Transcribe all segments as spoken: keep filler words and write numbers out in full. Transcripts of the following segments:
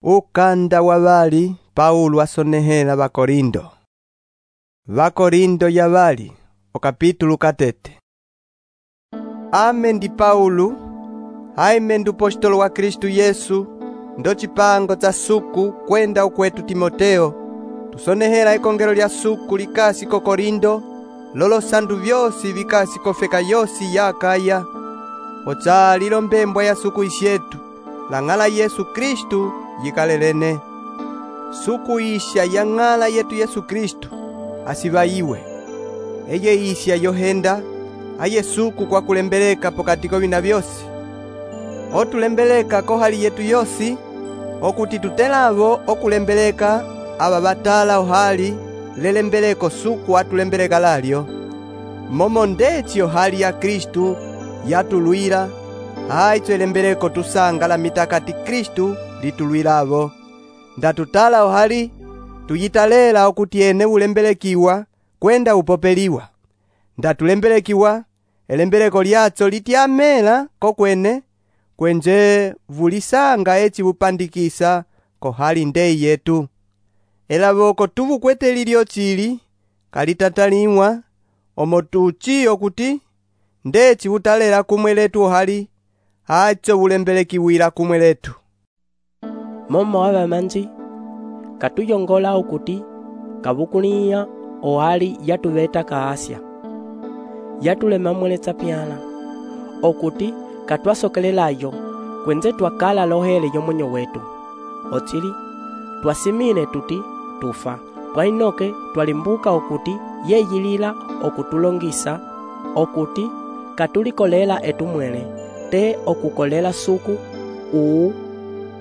Ukanda wa vali Paulo asonehela Vakorindo. Vakorindo ya vali okapitulo katete. Ame ndi Paulo, haime ndu apostolo wa Kristu Yesu, ndo chipango cha suku kwenda ukwetu Timoteo, tusonehela ikongelo lya suku likasi ko Korindo, lolo sandu vyosi vikasi kofeka yosi ya Akaya, ocha lilo mbembwa ya suku isyetu, lang'ala Yesu Kristu yikalelene. Suku isya ya ng'ala yetu Yesu Kristu asivaiwe. Eye isya yohenda, aye suku kwa kulembeleka pokati ko vina vyosi. Otulembeleka ko hali yetu yosi, okuti tutelavo okulembeleka aba batala ohali lelembeleko suku atulembeleka lalyo. Momo ndeci ohali ya Kristu yatulwira, haitso elembeleko tusanga la mitakati Kristu litulwiravo. Ndatutala ohali tuyitalela okuti ene ulembelekiwa kwenda upopeliwa. Ndatulembelekiwa elembeleko lyatso lityamela kokwene kwenje vulisanga eci bupandikisa kohali ndei yetu. Elavoko tuvukwete lilyo chili kalitataliwa omotuchi okuti ndeci butalela kumwe letu ohali hacho bulembelekiwira kumwe letu. Momo abamanji katuyongola okuti kabukuliya ohali yatuveta ka Asia, yatulema mweletsa pyala okuti katwasokelelayo kwenze twakala lohele yomonyo wetu. Ochili twasimine tuti tufa twainoke twalimbuka okuti yeyilila okutulongisa okuti katulikolela etumwele te okukolela suku uu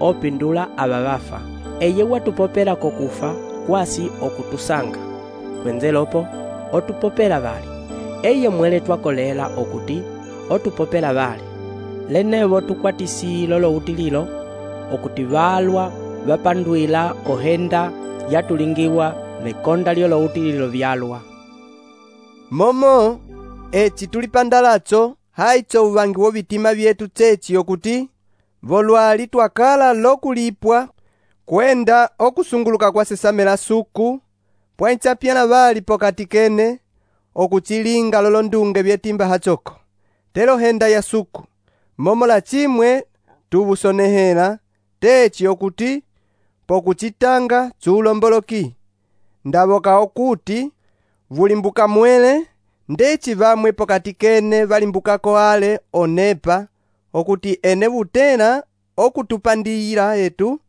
opindula ababafa. Eye watupopela kokufa kwasi okutusanga kwenze lopo otupopela bali. Eye mwele twakolela okuti otupopela bali. Lenevo tukwatisi lolo utililo okuti balwa bapanduila ohenda yatulingiwa mekonda lyolo utililo vyalwa. Momo eci tulipandalatso haitso uvangi wo vitima vyetu chechi okuti volwali twakala lokulipwa kwenda okusunguluka kwa sesamela suku pwainchapyana bali pokati kene okuchilinga lolo ndunge vyetimba hachoko. Telo henda ya suku momo la chimwe tubusonehela techi okuti pokuchitanga chulomboloki. Ndavoka okuti vulimbuka mwele ndeci vamwe pokati kene valimbukako ale onepa okuti ene butera okutupandiyira etu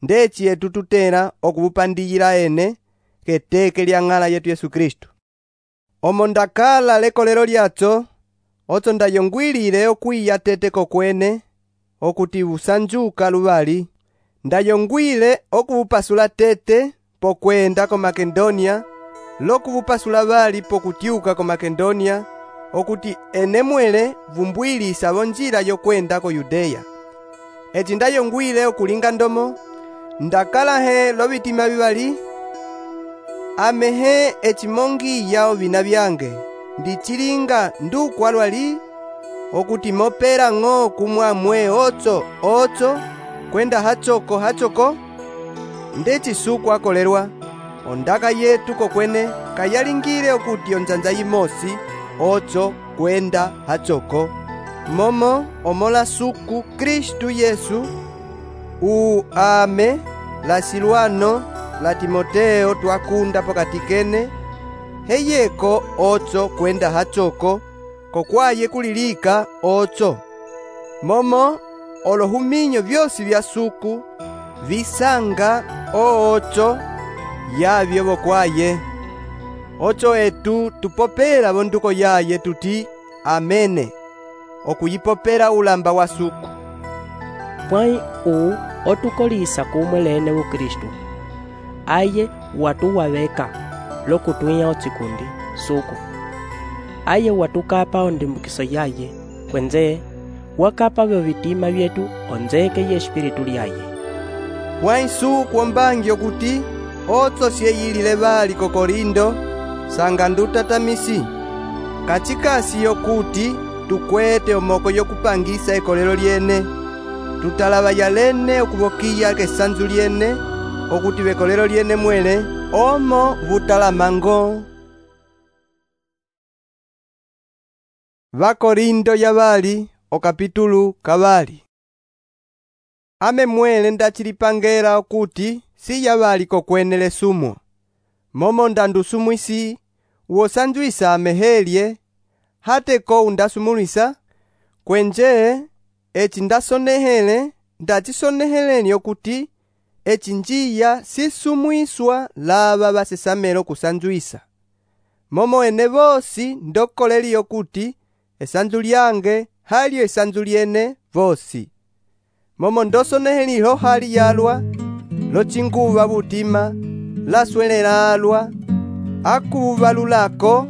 ndeci etu tutera okubupandiyira ene keteke lya ng'ala yetu Yesu Kristu. Omo ndakala lekolero lyatso otso ndayongwilile okwiya tete kokwene okuti busanjuka lubali. Ndayongwile okubupasula tete pokwenda ko Makedonia, lokubupasula bali pokutyuka ko Makedonia okuti ene mwele vumbwilisa bonjila yokwenda ko Yudeya. Eci ndayongwile okulinga ndomo ndakala he lobitima bibali amehe echimongi yao vina byange ndichilinga ndukwalwali okuti mopera ng'o kumwamwe otso otso kwenda hachoko hachoko ndeci suku akolerwa ondaka yetu kokwene kayalingile okuti onjanja yimosi otso kwenda hachoko momo omola suku Kristu Yesu u ame la Silwano la Timoteo twakunda pokati kene heyeko otso kwenda hachoko kokwaye kulilika otso momo olohuminyo vyosi vya suku visanga otso yavyo bokwaye otso etu tupopela bonduko yaye tuti amene okuyipopela ulamba wa suku. Pwai u otukolisa kumwe lene u Kristu aye watuwaveka lokutwiya ochikundi suku aye watukapa ondimbukiso yaye kwenze wakapa vyo vitima vyetu onzeke ye espiritu lyaye. Pwai suku ombangi okuti otso syeyilile bali ko Korindo sanga ndutatamisi kachikasi yokuti tukwete omoko yokupangisa ekolelo lyene tutalava yalene okuvokiya kesanzu lyene, okuti vekolelo lyene mwele, omo vutalamango. Vakorindo yavali, okapitulu kavali. Ame mwele ndachilipangela okuti si yavali kokwenele sumo. Momo ndandusumwisi, uosanjuisa amehelye, hateko undasumulisa, kwenje, eci ndasonehele, ndachisoneheleni okuti, eci njiya sisumwiswa lava vasesamelo kusanjuisa. Momo ene vosi ndokoleli okuti, esanzu lyange halyo esanzu lyene vosi. Momo ndosoneheliho hali yalwa, lochinguva butima, laswelela alwa, akuva lulako,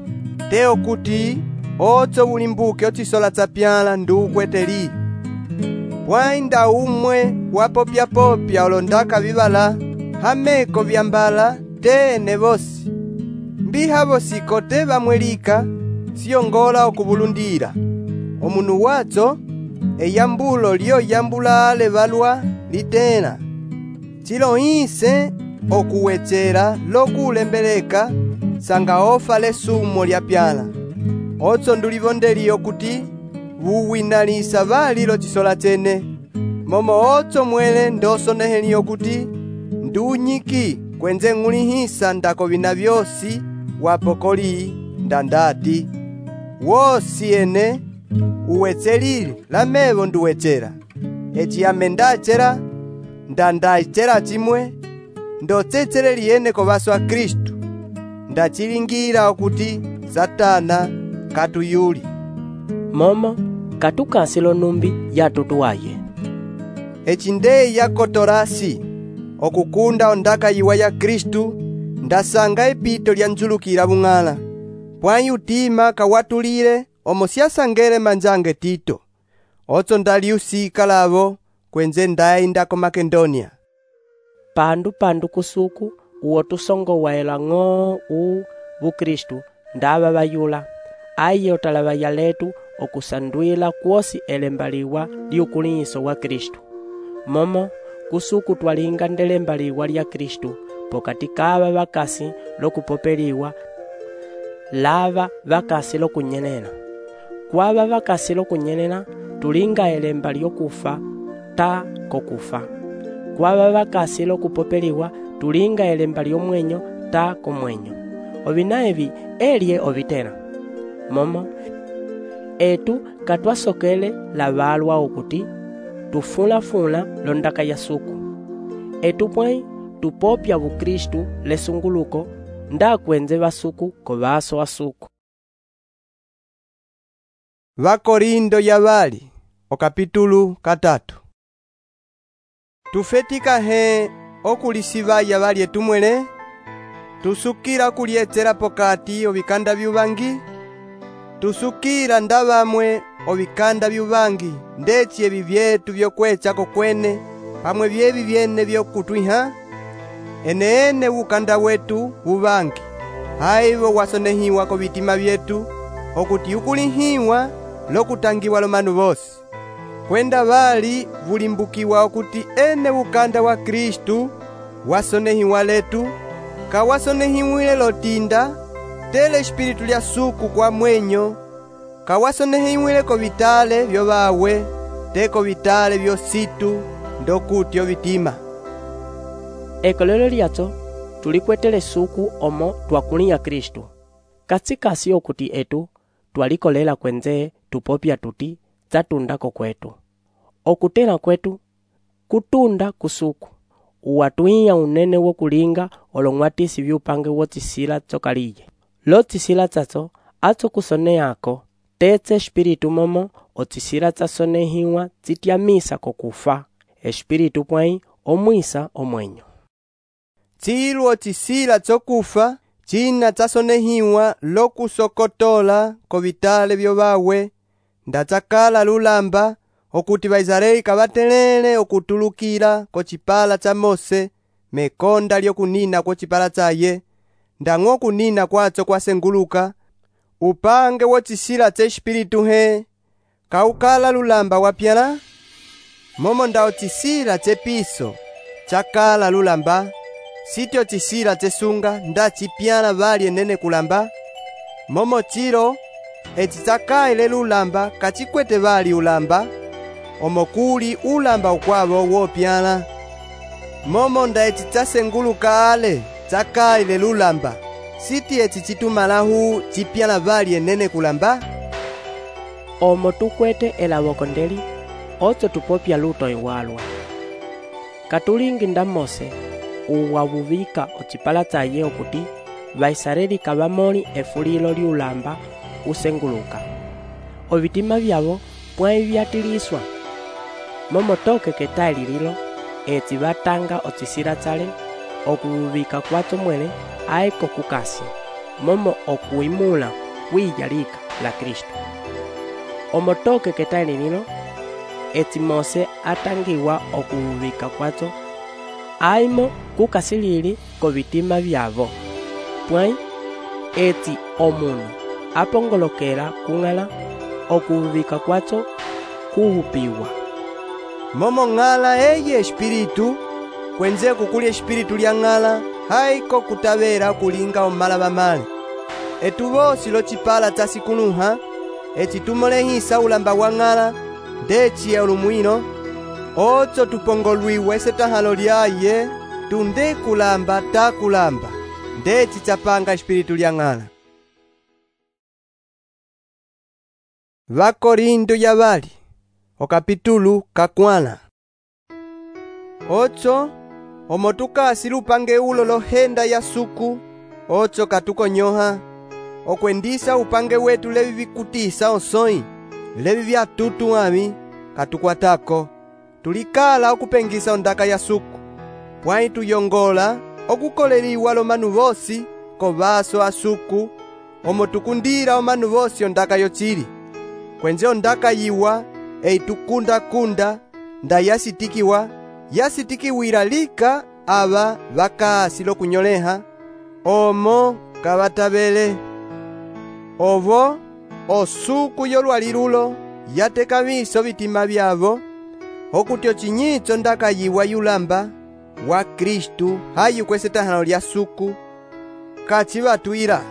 te okuti, otso bulimbuke ochisola tsapyala ndukweteli. Pwainda umwe wapopya popya olondaka vivala, hameko vyambala tene vosi. Mbiha vosi kote vamwelika, siyongola okubulundira. Omunu watso, eyambulo lyo yambulale valwa litena. Chilo inse okuwechera lokulembeleka sanga ofa lesumo lya pyala. Otso ndulivondeli okuti vuwinalisa vali lochisola chene. Momo otso mwele ndosoneheli okuti ndunyiki kwenze ng'ulihisa ndakovina vyosi wapokoli ndandati. Wosi ene uwechelili lamevo nduwechera. Eci ame ndachera ndandachera chimwe ndocecheleli ene kovaso a Kristu. Ndachilingira okuti Satana katuyuli. Momo katukasilo numbi yatutuwaye. Eci nde yakotorasi okukunda ondaka yiwa ya Kristu, ndasanga epito lya njulukira bung'ala. Pwayi utima kawatulile omo siasangele manjange Tito. Otso ndaliusika lavo kwenze ndaenda ko Makedonia. Pandu pandu kusuku uwo tusongo waela ng'o u bukristu ndava vayula. Aye otalava yaletu okusandwila kwosi elembaliwa liukuliso wa Kristu. Momo kusuku twalinga ndelembaliwa lya Kristu pokati kava vakasi lokupopeliwa lava vakasi lokunyenena. Kwava vakasi lokunyenena tulinga elemba lyokufa ta kokufa. Kwava vakasi lokupopeliwa tulinga elemba lyomwenyo ta komwenyo. Ovina evi elye ovitena. Momo etu katwasokele lavalwa okuti tufula-fula londaka ya suku. Etu pwai tupopya bukristu lesunguluko ndakwenze basuku kovaso wa suku. Vakorindo yavali, okapitulu katatu. Tufetika he okulisiva yavali etumwele, tusukira kulietera pokati ovikanda vyuvangi, tusukira ndavamwe ovikanda vyuvangi, ndeci evi vyetu vyokwecha kokwene, pamwe vyevi vyene vyokutwiha, eneene ukanda wetu uvangi, haivo wasonehiwa ko vitima vyetu, okuti ukulihiwa lokutangiwa lomanu vosi. Kwenda vali vulimbukiwa okuti ene ukanda wa Kristu wasonehiwa letu, kawasonehiwile lotinda, tele espiritu lya suku kwa mwenyo, kawasonehiwile ko vitale vyo vawe, teko vitale vyo situ, ndokutyo vitima. Ekolelo lyatso tulikwetele suku omo twakulinya Kristu. Katsikasi okuti etu twalikolela kwenze tupopya tuti tsatundako kwetu. Okutela kwetu kutunda kusuku. Uwatuiya unene wokulinga olong'watisi vyupange wotisila tsokaliye. Lotisila tsatso atso kusoneyako tetse espiritu momo otisila tsasonehiwa tsityamisa kokufa. Espiritu pwai omwisa omwenyo. Tsilu otisila tsokufa china tsasonehiwa lokusokotola ko vitale vyo vawe, ndatsakala lulamba okuti Vaisraeli kavatelele okutulukira ko chipala cha Mose, mekonda lyokunina ko chipala chaye, ndang'o kunina kwatso kwasenguluka, upange wotisila tse espiritu he, kaukala lulamba wapyala, momo nda ocisila cepiso cakala lulamba, sityo cisila cesunga nda cipyala vali enene kulamba, momo cilo eci cakaile lulamba kacikwete vali ulamba, omo kuli ulamba ukwavo wopyala. Momo nda eci casenguluka ale cakaile lulamba, siti eci citumalahu cipyala vali enene kulamba. Omo tukwete elawoko ndeli, oco tupopya luto iwalwa. Katulingi nda Mose uwawuvika ocipala caye okuti Vaisareli kavamoli efulilo liulamba usenguluka. Ovitima vyavo pwai vyatiliswa. Momo toke ketali lilo eci vatanga ocisila cale okuvuvika kwaco mwele aiko kukasi, momo okuimula kwiyalika la Kristo. Omo toke ketali lilo eci Mose atangiwa okuvuvika kwaco aimo kukasilili kovitima vyavo, pwai eci omunu apongolokela kung'ala okuvuvika kwaco kuhupiwa. Momo ng'ala eye espiritu, kwenze kukuli espiritu lya ng'ala, haiko kutavera kulinga omalava male. Etu vosi locipala casikunuha, eci tumolehisa ulamba wa ng'ala, ndeci ya ulumwino, oco tupongolwiwe setahalo lyaye, tunde kulamba ta kulamba, ndeci capanga espiritu lya ng'ala. Vakorindo ya vali, okapitulu kakwana. Ocho, omo tukasi lupange ulo lohenda ya suku, ocho katukonyoha, okwendisa upange wetu levi vikutisa osoi, levi vya tutu ami, katukwatako, tulikala okupengisa ondaka ya suku, pwai tuyongola, okukoleliwa lo manu vosi, kovaso asuku, omo tukundira o manu vosi ondaka yochili, kwenze ondaka yiwa, eitukunda kunda, nda yasitikiwa, yasitikiwira lika ava vakasi lokunyoleha, omo kavatavele. Ovo, osuku yolwalilulo, yatekaviso vitima vyavo, okuti ochinyicho ndaka yiwa yulamba, wa Kristu hayu kwesetahano lya suku, kachivatuira.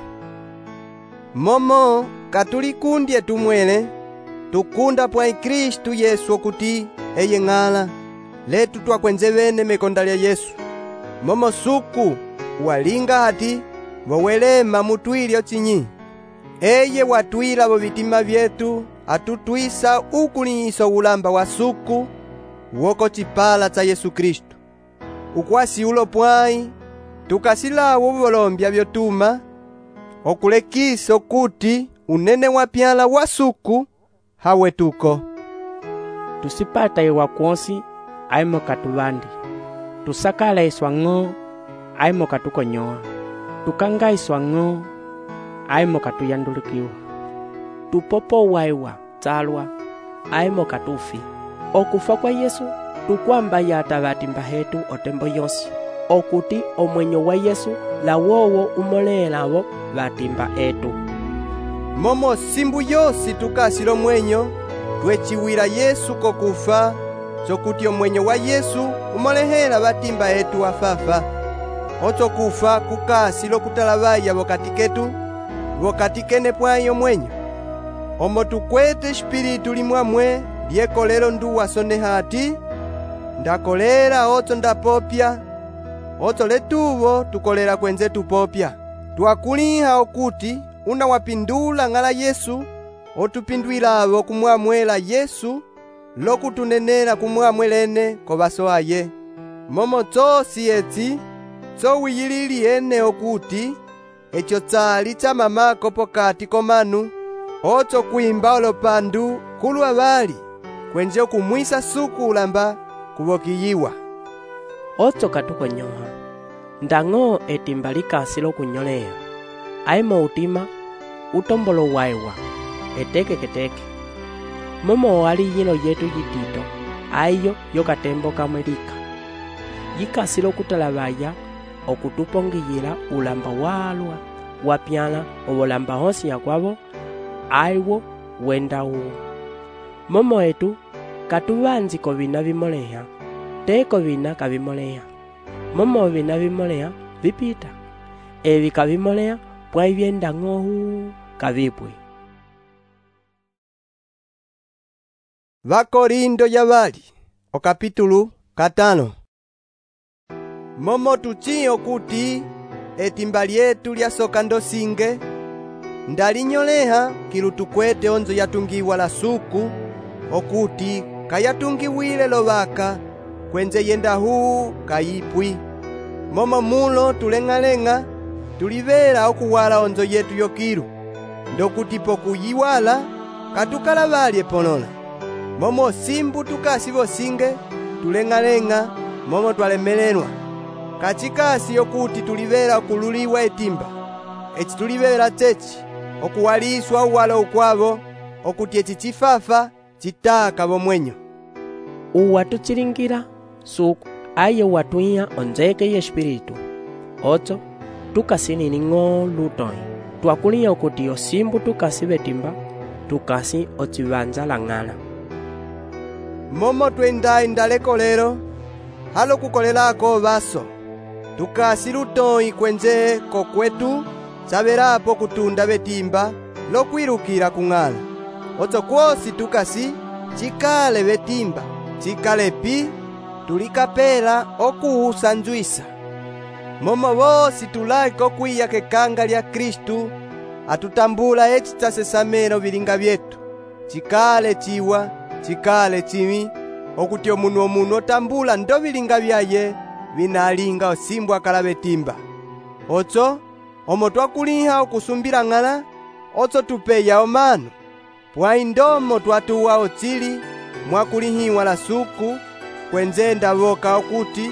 Momo, katulikundi tumwele, tukunda pwai Kristu Yesu okuti eye ng'ala, letu twakwenze vene mekonda lya Yesu. Momo suku, walinga hati, wawelema mutwili ochinyi. Eye watwila vo vitima vyetu, atutwisa ukuliso ulamba wa suku, woko cipala ca Yesu Kristu. Ukwasi ulo pwai, tukasilawo uvolombya vyotuma, okulekisa okuti unene wapyala wa suku, hawe tuko. Tusipata iwa kwonsi, aimo katuvandi. Tusakala iswa ng'o, aimo katukonyoa. Tukanga iswa ng'o, aimo katuyandulikiwa. Tupopo waiwa, talwa, aimo katufi. Okufa kwa Yesu, tukwamba yata vatimba hetu otembo yonsi. Okuti omwenyo wa Yesu, la wowo umolelavo vatimba etu. Momo simbu yosi tukasilo mwenyo, twechiwira Yesu kokufa, chokuti omwenyo wa Yesu umolehela vatimba etu afafa. Ocho kufa kukasilo kutalavaya vokati ketu, vokati kene pwayo mwenyo. Omo tukwete espiritu limwamwe, lyekolelo nduwa soneha ati, ndakolera ocho ndapopya, ocho letuvo tukolera kwenze tupopya. Twakuliha okuti, una wapindula ng'ala Yesu, otupindwilavo kumwamwela Yesu, lokutunenera kumwamwelene kovaso aye. Momo chosi eti, cho wiyilili ene okuti, echo tsali cha mamako pokati komanu, ocho kwimba olopandu kulwa vali, kwenje kumwisa suku ulamba kuvokiyiwa. Ocho katukonyoha, ndang'o etimba likasi lokunyolea, aimo utima, utombolo waiwa, eteke keteke. Momo wali yino yetu yitito, aiyo yokatembo kamwelika. Yikasi lokutalavaya, okutupongiyila ulamba walwa, wapyala ovolamba honsi ya kwavo, aiwo wenda uwo. Momo etu, katuvanzi kovina vimoleha, te kovina kavimoleha. Momo vina vimoleha vipita, evi kavimoleha pwaivyenda ng'ohu kavipwi. Vakorindo ya vali okapitulu katano. Momo tuchiyo kuti etimba lyetu lyasoka ndosinge ndalinyoleha kilutukwete onzo yatungiwa la suku okuti kayatungiwile lovaka kwenze yenda huu kayipwi. Momo mulo tuleng'aleng'a tulivela okuwala onzo yetu yokilu ndokuti pokuyiwala katukala valye ponola. Momo simbu tukasi vosinge tuleng'aleng'a momo twalemelelwa kachikasi yokuti tulivela okululiwa etimba eci tulivela chechi okuwaliswa uwala ukwavo okuti eci chifafa chitaka vomwenyo. Uwa tuchilingira suku aye watuiya onzeke ye espiritu ocho tukasi ng'o lutoi twakuliya okuti osimbu tukasi vetimba tukasi ochivanza lang'ala. Momo twenda indaleko lero halo kukolelako vaso tukasi lutoi kwenze kokwetu savelapo kutunda vetimba lokwilukila kung'ala. Ocho kwosi tukasi chikale vetimba chikale pi tulikapela okuusanjwisa. Momo vosi tulake okwiya kekanga lya Kristu atutambula eci chasesamelo vilinga vyetu chikale chiwa chikale chimi okuti omunu omunu otambula ndo vilinga vyaye vinalinga osimbu akala vetimba. Ocho omo twakuliha okusumbila ng'ala ocho tupeya omanu pwai ndomo twatuwa ochili mwakulihiwa la suku kwenzenda voka okuti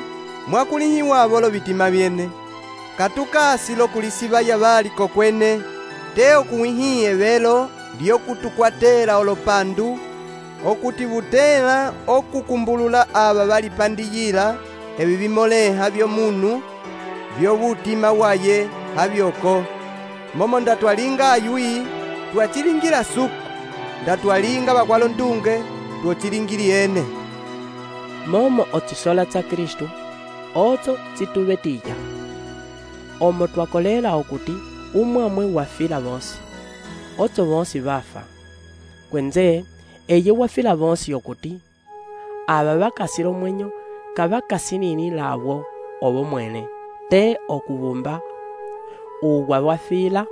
mwakulihiwa avolo vitima vyene katukasi lokulisiva ya vali kokwene te okuwihiye velo lyokutukwatela olopandu okuti vutela okukumbulula ava valipandiyila evi vimoleha vyomunu vyovutima waye havyoko. Momo ndatwalinga ayui twachilingila suku ndatwalinga vakwalo ndunge twochilingili ene. Momo ochisola cha Kristu ocho chituvetiya omo twakolela okuti umwamwe wafila vosi ocho vosi vafa kwenze eye wafila vosi okuti ava vakasila omwenyo kavakasinini lawo ovo mwene te okuvumba uwa wafila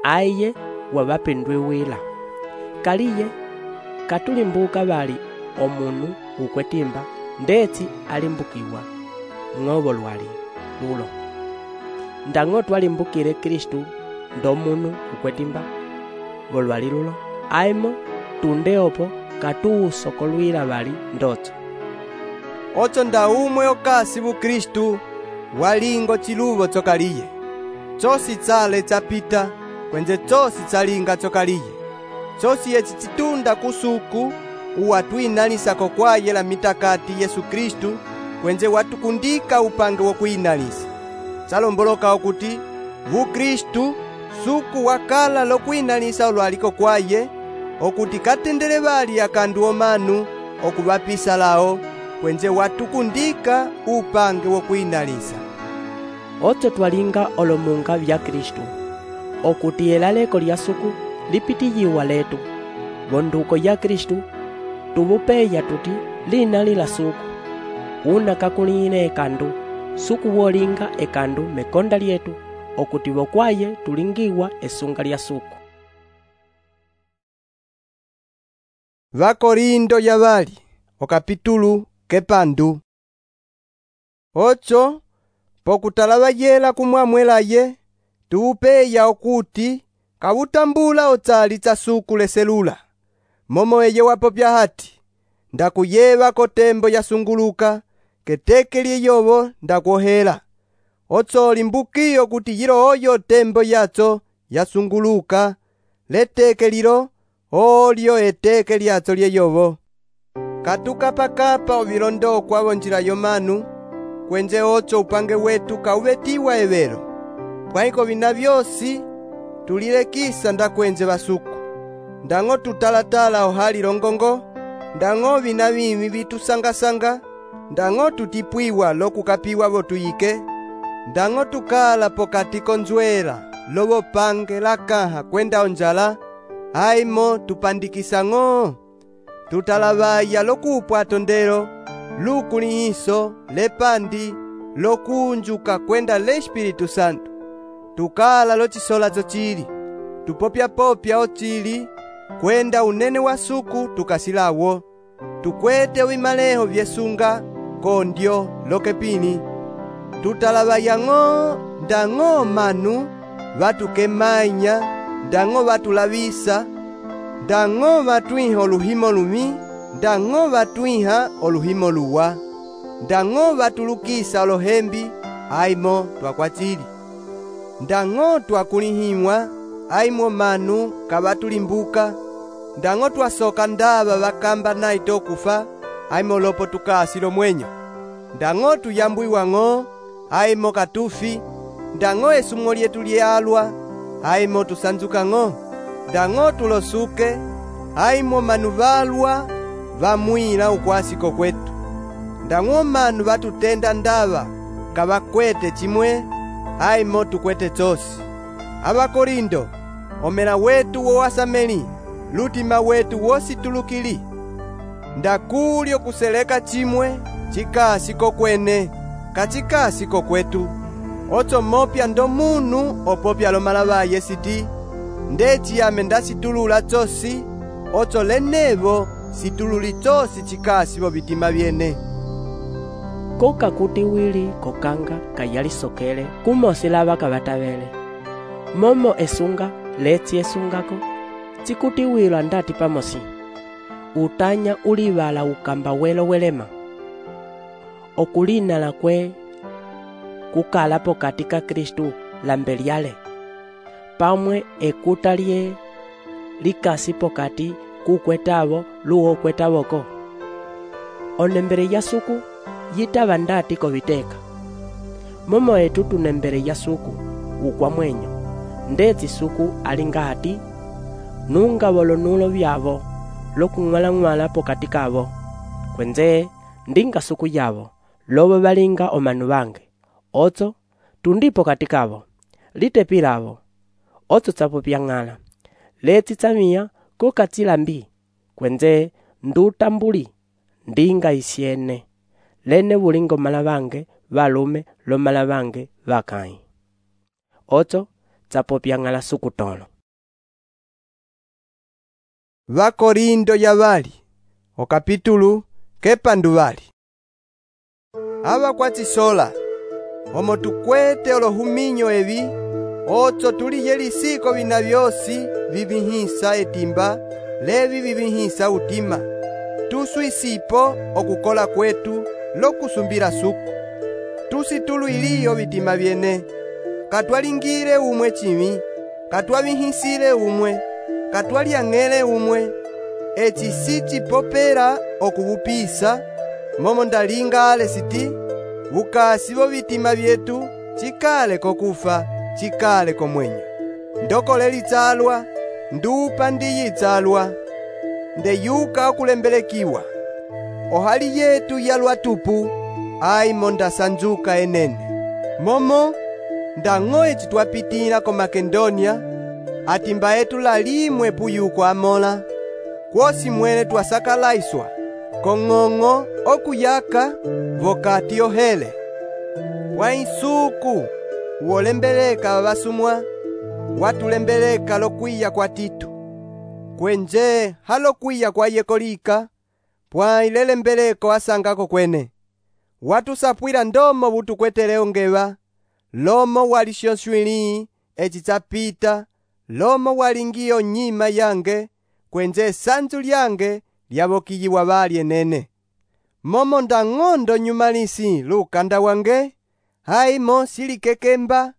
aye wavapendwe wila kaliye katulimbuka vali omunu ukwetimba ndeti alimbukiwa ng'ovo lwali lulo ndang'o twalimbukile Kristu ndomunu ukwetimba volwali lulo aimo tunde opo katuusokolwila vali ndocho. Ocho nda umwe okasi bu Kristu walingo chiluvo chokaliye chosi chale chapita kwenze chosi chalinga chokaliye chosi eci chitunda kusuku uwatwinalisa kokwaye la mitakati Yesu Kristu kwenze watukundika upange wokwinalisa chalomboloka okuti vu Kristu suku wakala lokwinalisa olwaliko kwaye okuti katendele vali akandu omanu okuvapisa lao kwenze watukundika upange wokwinalisa. Ocho twalinga olomunga vya Kristu okuti elaleko lya suku lipitiyiwa letu vonduko ya Kristu tuvupeya tuti linali la suku una kakuline ekandu suku wolinga ekandu mekonda lyetu okuti vokwaye tulingiwa esunga lya suku. Vakorindo ya vali okapitulu kepandu. Ocho pokutalava yela kumwamwelaye tuupeya okuti kavutambula ochali cha suku leselula momo eye wapopya hati ndakuyeva kotembo yasunguluka keteke lyeyovo ndakuohela ocho limbukiyo kuti yilo oyo tembo yacho yasunguluka leteke lilo olyo eteke lyacho lyeyovo katukapakapa ovilondo kwavo njila yomanu kwenze ocho upange wetu kauvetiwa evelo pwaiko vina vyosi tulilekisa ndakwenze vasuku ndang'o tutalatala ohali longongo Ndang'o vina vimi vitusanga-sanga, ndang'o tutipwiwa lokukapiwa votuyike, ndang'o tukala pokati konzwela lovopange lakaha kwenda onjala, aimo tupandikisa-ng'o. Tutalavaya lokupwa tondelo, lukulihiso, lepandi, lokunjuka kwenda le Espiritu Santo. Tukala lochisola chili, tupopya-popya ochili, kwenda unene wa suku tukasilawo. Tukwete wimaleho vyesunga, kondyo, lokepini. Tutalavaya-ng'o, ndang'o manu, vatukemanya, ndang'o vatulavisa, ndang'o vatwiha oluhimo lumi, ndang'o vatwiha oluhimo luwa, ndang'o vatulukisa olohembi, aimo twakwachili. Ndang'o twakulihimwa, aimo manu kavatulimbuka, ndang'o twasoka ndava vakamba naito okufa, aimo lopo tukasilo mwenyo. Ndang'o tuyambwiwa-ng'o, aimo katufi, ndang'o esumo lyetu lyalwa, aimo tusanzuka-ng'o. Ndang'o tulosuke, aimo manu valwa, vamwila ukwasiko kwetu. Ndang'o manu vatutenda ndava, kavakwete chimwe, aimo tukwete chosi. Abakorindo, omela wetu wowasameli, lutima wetu wositulukili. Ndakulyo kuseleka chimwe, chikasiko kwene, kachikasiko kwetu. Ocho mopya ndo munu opopya lomalavaye siti, ndechiyame ndasitulula chosi, ocho lenevo situluli chosi chikasivo vitima vyene. Koka kuti wili kokanga kayalisokele kumosi lava kavatavele. Momo esunga letsi esungako, chikuti wilo ndati pamosi. Utanya ulivala ukamba welo welema. Okulina la kwe kukalapo katika Kristu lambeliale. Pamwe ekuta lye likasi pokati kukwetavo luo kwetavoko. Onembere ya suku yitava ndati koviteka. Momo etu tunembere ya suku ukwa mwenyo. Ndeti suku alingati nunga volonulo vyavo lokung'wala-ng'wala pokati kavo. Kwenze ndinga suku yavo lovo valinga omanu vange. Ocho tundipo katikavo litepilavo. Ocho tsapopya-ng'ala leti tsamia kukatsilambi. Kwenze ndutambuli ndinga isyene lene bulingo malavange valume lo malavange vakai. Ocho tsapopya-ng'ala sukutolo. Vakorindo yavali, okapitulu kepanduvali. Ava kwachisola, omo tukwete olohuminyo evi, ocho tuliye lisiko vina vyosi vivihisa etimba, levi vivihisa utima. Tuswisipo okukola kwetu lokusumbila suku. Tusitulu iliyo vitima vyene. Katwalingile umwe chimi, katwavihisile umwe, katwalyang'ele umwe. Echi sichipopela okuvupisa, momo ndalinga ale siti, bukasi bo vitima vyetu, chikale kokufa, chikale komwenyo. Ndokole litsalwa, ndupa ndiyitsalwa, ndeyuka okulembelekiwa. Ohali yetu yalwa tupu, aimo ndasanjuka enene. Momo, ndang'o echi twapitila ko Makedonia, atimba etu lalimwe puyuko amola, kwosi mwene twasakalaiswa, kong'ong'o okuyaka vokati ohele. Wa insuku, wolembeleka vavasumwa, watulembeleka lokwiya kwa Titu. Kwenje halokwiya kwa yekolika, pwa ilelembeleko asangako kwene. Watusapwila ndomo butukwetele ongeva, lomo walishonshwili echi chapita, lomo walingiyo nyima yange, kwenje sanzu lyange lyavokiyiwa vali enene. Momo ndang'ondo nyumalisi lukanda wange, haimo silikekemba,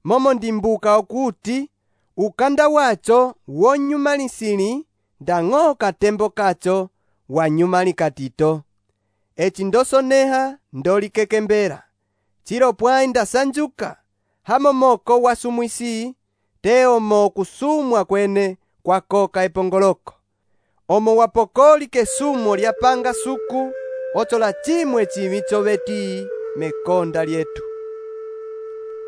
momo ndimbuka okuti, ukanda wacho wonyumalisili, ndang'o katembo kacho wanyumali katito. Echi ndosoneha ndolikekembera. Chilo pwai ndasanjuka, hamomoko wasumwisi, teo mo kusumwa kwene kwa koka epongoloko. omo wapokoli kesumo lyapanga suku, ocho la chimwe chimi choveti mekonda lyetu.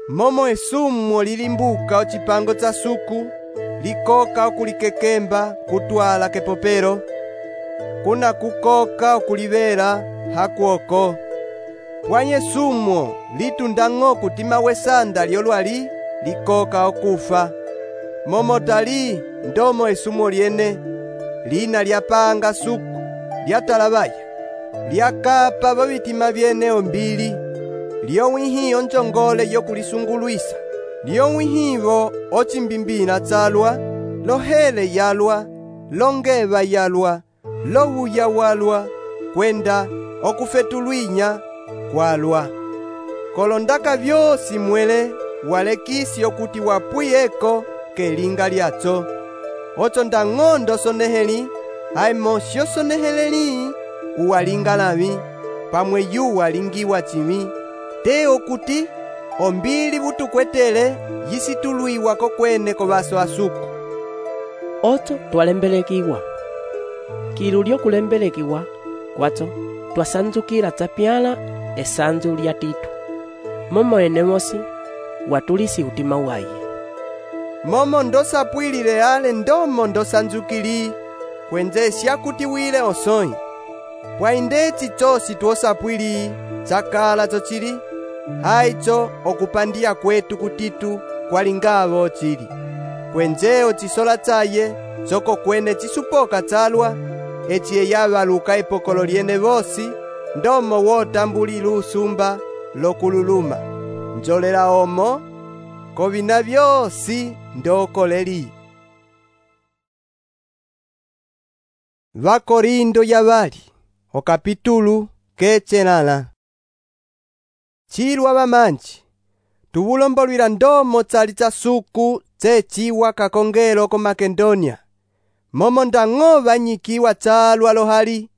Momo esumo lilimbuka ochipango cha suku, likoka okulikekemba kutwala kepopero, kuna kukoka okulivera hakuoko. Pwanye sumo litundang'o kutima wesanda lyolwali likoka okufa. Momo tali ndomo esumo lyene, lina lyapanga suku, lyatalabaya, lyakapa babitima byene ombili, lyowihi onjongole yokulisungulwisa, lyowihivo ochimbimbina chalwa, lohele yalwa, longeva yalwa, lowuya walwa, kwenda okufetulwinya kwalwa. Kolondaka byosi mwele walekisi okuti wapuyeko kelinga lyacho. Ocho ndang'ondo soneheli, haimo syo soneheleli, uwalinga lavi, pamwe yu walingiwa chimi, te okuti ombili butukwetele yisitulwiwa kokwene kobaso asuku. Ocho twalembelekiwa. Kilu lyokulembelekiwa kwacho twasanzukila chapyala esanzu lya Titu. Momo enemosi watulisi utima waye. Momo ndosapwilile ale ndomo ndosanzukili, kwenzesya kuti wile osoi. Pwaindechi chosi tuosapwili chakala chochili, haicho okupandia kwetu kutitu kwalingavo chili. Kwenzeo chisola chaye choko kwene chisupoka chalwa, echiye yavaluka epokolo lyene bosi, ndomo wotambulila usumba lokululuma. Njolela omo kovina byosi ndokoleri. Vakorindo yabali okapitulu kechelala. Chilwa bamanji tubulombolwila ndomo chali cha suku chechiwa kakongelo ko Makedonia. Momo ndang'o banyikiwa chalwa lohali,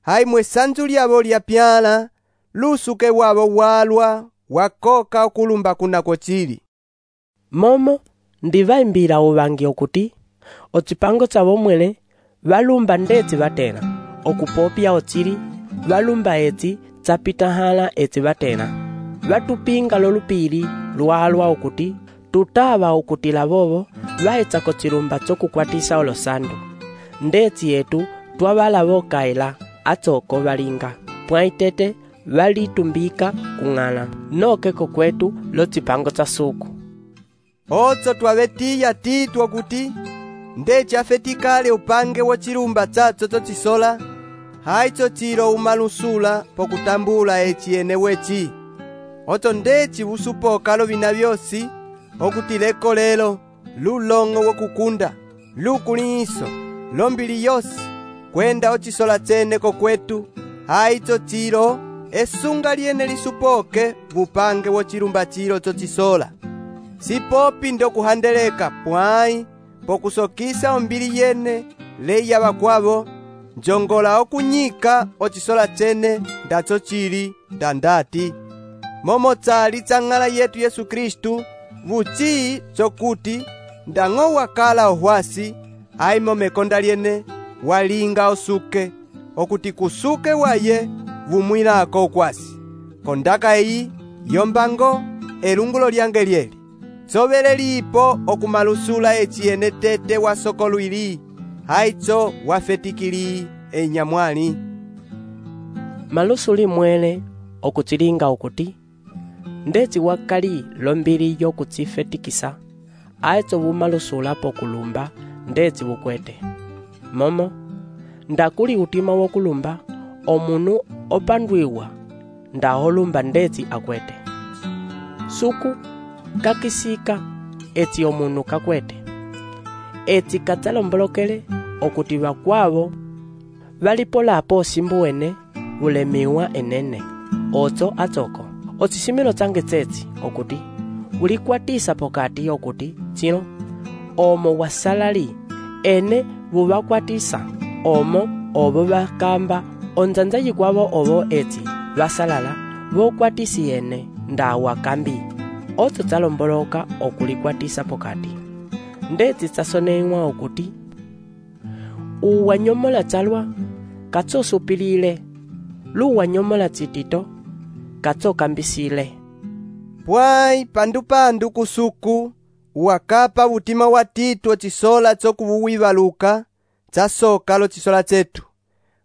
haimwe sanzu lyabo lyapyala, lusuke wabo walwa wakoka okulumba kunako chili. Momo ndivaimbila ubangi okuti ochipango chabo mwele balumba ndeti batena, okupopya ochili balumba eti chapitahala eti batena. Batupinga lolupili lwalwa okuti tutaba okutila bobo bahecha kochilumba chokukwatisa olosandu. Ndeti yetu twabala bokaela atoko balinga, pwaitete balitumbika kung'ala, nokeko kwetu lochipango cha suku. Ocho twabetiya Titu okuti ndechi afetikale upange wochilumba chacho chochisola, haicho chilo umalusula pokutambula echi ene wechi. Ocho ndechi busupoka lovina byosi okuti leko lelo lulong'o wokukunda, lukuliso, lombili yosi, kwenda ochisola chene kokwetu, haicho chilo esunga lyene lisupoke bupange wochilumba chilo chochisola. Sipopi ndokuhandeleka pwai pokusokisa ombili yene leya bakwabo, njongola okunyika ochisola chene ndacho chili ndandati. Momo chali chang'ala yetu Yesu Kristu, buchi chokuti ndang'o wakala ohwasi, haimo mekonda lyene walinga osuke, okuti kusuke waye bumwilako okwasi. Kondaka eyi yombango elungulo lyange lyeli, sobele lipo okumalusula echiene tete wasokolwili, haicho wafetikili enyamwali. Malusuli mwele okuchilinga okuti ndeti wakali lombili yokuchifetikisa, haicho bumalusula pokulumba ndeti bukwete. Momo ndakuli utima wokulumba omunu opandwiwa ndaholumba ndeti akwete. Suku kakisika eti omunu kakwete, eti katalombolokele okuti bakwabo balipolapo simbuwene ulemiwa enene. Ocho atoko ochisimilo change cheti okuti ulikwatisa pokati okuti chino omo wasalali ene bubakwatisa omo obo bakamba onjanja yikwabo obo eti basalala bokwatisi ene ndawa kambi. Ocho chalomboloka okulikwatisa pokati ndeti chasoneiwa okuti uwanyomola chalwa katsosupilile, luwanyomola tsitito katsokambisile. Pwai pandu pandu kusuku uwakapa utima wa Tito chisola tsokuwivaluka tsasoka lo chisola chetu,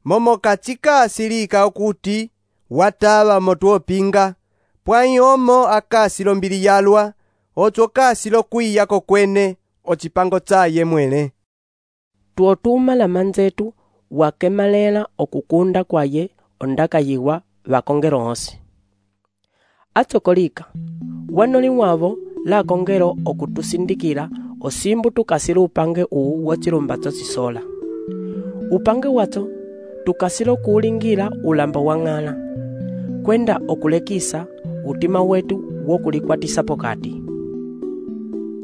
momo kachikasilika okuti watava motu opinga, pwai omo akasilo mbili yalwa ocho kasilo kwiya kokwene ocipango tsaye mwele. Tuotuma la manzetu wakemalela okukunda kwaye ondaka yiwa vakongero onsi. Atsokolika wanoli wavo la kongero okutusindikila osimbu tukasile upange uu wachilumba tsosisola. Upange watso tukasile kuulingila ulamba wang'ala, kwenda okulekisa utima wetu wokulikwatisa pokati.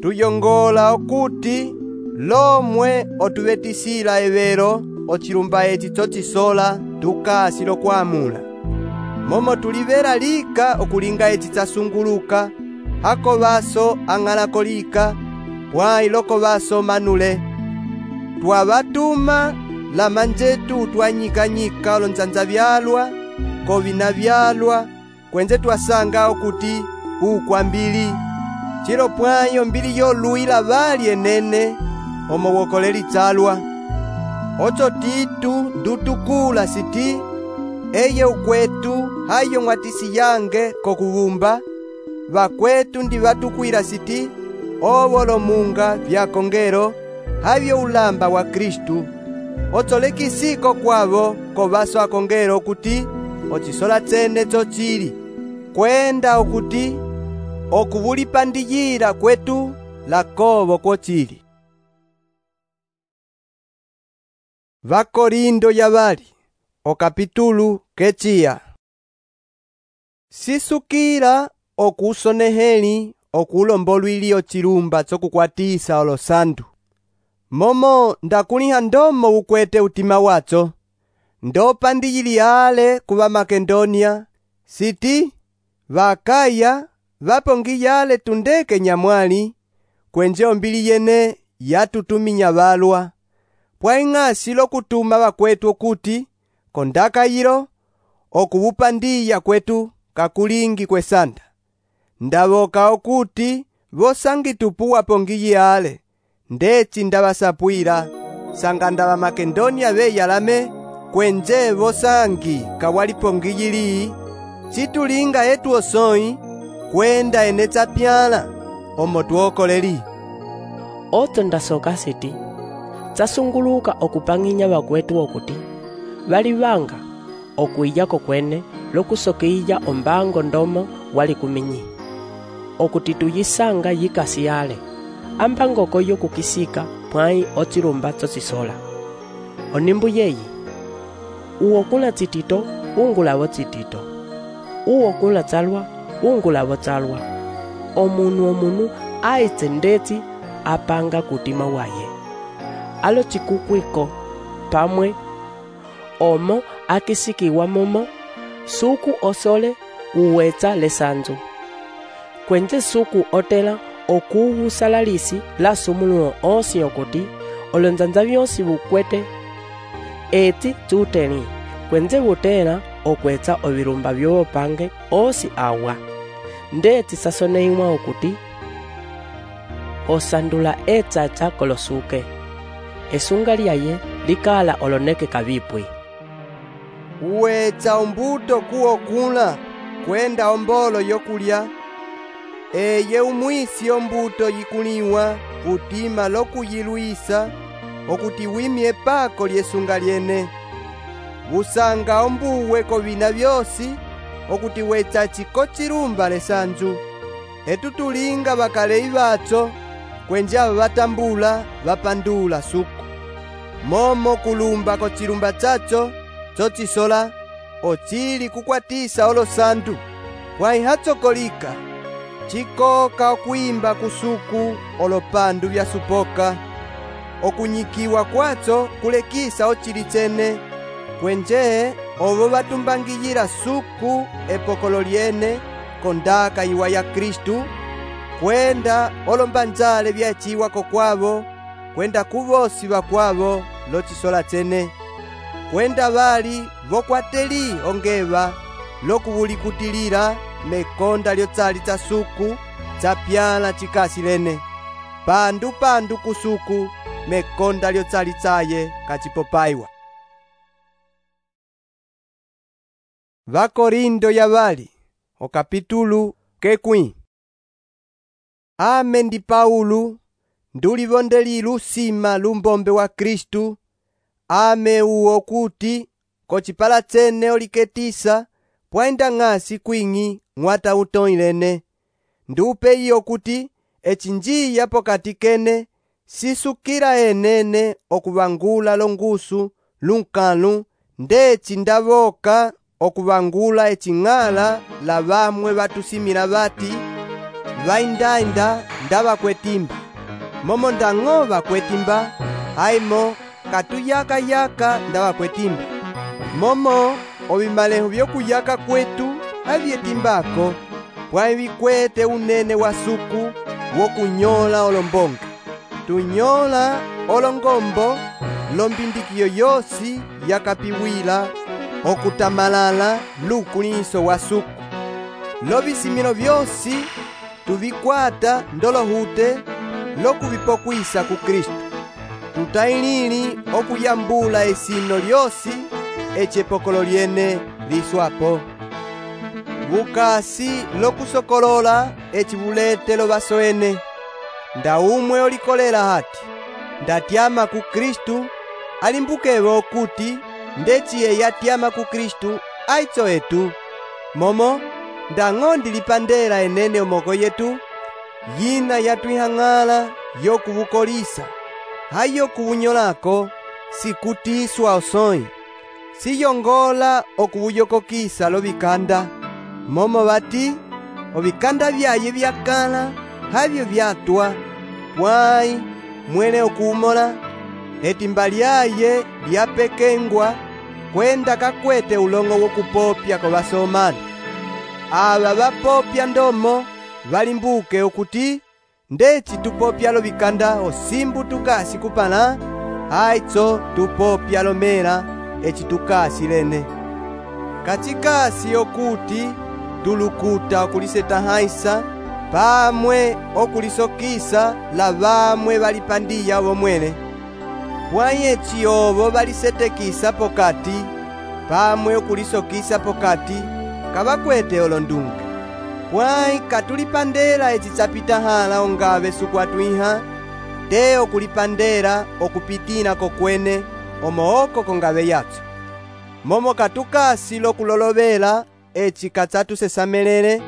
Tuyongola okuti lomwe otuvetisila evero ochilumba eti tsocisola tukasilo kwamula, momo tulivera lika okulinga eti tsasunguluka hako vaso ang'alako lika pwai loko vaso manule. Twavatuma la manjetu twanyikanyika olonzanza vyalwa kovina vyalwa kwenze twasanga okuti ukwambili chilo pwayo mbili yoluila vali enene omo wokoleli tsalwa. Ocho Titu ndutukula siti eye ukwetu hayo mwatisi yange kokuvumba vakwetu ndi vatukwila siti ovolo munga vya kongero havyo ulamba wa Kristu. Ocho lekisiko kwavo kovaso akongero okuti ocisola tsene chochili kwenda okuti okuvulipandiyila kwetu lakovo kochili. Vakorindo yavali okapitulu kechiya. Sisukila okusoneheli okulombolwili ochilumba tsokukwatisa olosantu, momo ndakuliha ndomo ukwete utima watso ndopandiyili ale kuva Makedonia siti vakaya vapongiyale tundeke nyamwali kwenje ombili yene yatutuminya valwa, pwai ng'asi lokutuma vakwetu okuti kondaka yilo okuvupandiya kwetu kakulingi kwesanda. Ndavoka okuti vosangi tupu wapongiyi ale ndeci ndavasapwila sanga ndava Makedonia veyalame kwenje vosangi kawalipongiyili chitulinga etu osoi kwenda ene tsapyala omo tuokoleli. Oto ndasoka siti tsasunguluka okupang'inya vakwetu okuti vali vanga okuyako kwene lokusokeija ombango ndomo wali kuminyi okuti tuyisanga yikasi yale ambangoko yokukisika pwai ochilumba tsosisola. Onimbu yeyi uokula tsitito ungulavo tsitito, uokula tsalwa ungulavo tsalwa. Omunu omunu aitse ndetsi apanga kutima waye alo chikukwiko pamwe omo akisikiwa momo suku osole uwetsa lesanzu kwenje suku otela okuwusalalisi la sumuluo onsi okuti olonzanza vyonsi vukwete eti tsuteli kwenje vutela okwetsa ovilumba vyopange osi awa ndeti sasoneiwa okuti osandula etsacha kolosuke esunga lyaye likala oloneke kavipwi. Uwetsa ombuto kuokula kwenda ombolo yokulya eye umwisi ombuto yikuliwa utima lokuyilwisa okuti wimye pako lyesunga lyene. Usanga ombuwe kovina vyosi okuti wetsa chiko chilumba lesanzu etutulinga vakalei vatso kwenjava vatambula vapandula suku momo kulumba kochilumba chacho chochisola ochili kukwatisa olosantu pwai hatsokolika chikoka okwimba kusuku olopandu vyasupoka okunyikiwa kwatso kulekisa ochili chene kwenje ovo vatumbangiyila suku epokolo lyene kondaka iwa ya Kristu kwenda olombanjale vyachiwako kwavo kwenda kuvosi vakwavo locisola cene, kwenda bali vokwateli ongeva lokuwulikutilila mekonda lyotsali tsa suku tsapyala cikasi lene, pandu pandu kusuku mekonda lyotsali tsaye kacipopaiwa. Vakorindo ya bali okapitulu kekwi. Ame ndi Paulo ndulivondeli lusima lumbombe wa Kristu, ame uwo kuti kocipala tsene oliketisa pwaenda ng'asi kwing'i ng'wata utoilene, ndupe iyo kuti echinjiya pokati kene sisukila enene okuvangula longusu lunkalu ndeci ndavoka okuvangula ecing'ala la vamwe vatusimila bati vaindainda ndavakwetimba, momo ndang'o vakwetimba aimo katuyaka-yaka ndavakwetimba, momo ovimalehu vyokuyaka kwetu avyetimbako pwai vikwete unene wa suku wokunyola olombonga, tunyola olongombo lombindikiyo yosi yakapiwila okutamalala lukuliso wa suku, lovisimilo vyosi tuvikwata ndolohute lokuvipokwisa ku Kristu, tutailili okuyambula esino lyosi ecepokolo lyene liswapo, vukasi lokusokolola ecivuletelo vasoene, nda umwe olikolela hati ndatyama ku Kristu alimbukevo kuti ndeciye yatyama ku Kristu aitso etu, momo ndang'o ndilipandela enene omoko yetu yina yatwihang'ala yokuvukolisa hayo kuvunyolako sikutiswa osoi, siyongola okuvuyokokisa lovikanda, momo bati ovikanda vyaye vyakala havyo vyatwa pwai mwene okuumola etimba lyaye lyapekengwa kwenda kakwete ulongo wokupopya ko basomana. Aba bapopya ndomo balimbuke okuti ndeci tupopya lovikanda osimbu tukasi kupala aitso tupopya lomela eci tukasi lene kacikasi okuti tulukuta okuliseta haisa pamwe okulisokisa la bamwe balipandiya bomwene, pwai eci obo balisetekisa pokati pamwe okulisokisa pokati kabakwete olondunga, pwai katulipandela eci tsapita hala ongabe sukwatwiha te okulipandela okupitila kokwene omooko kongabe yatso, momo katukasi lokulolovela eci katsatusesamelele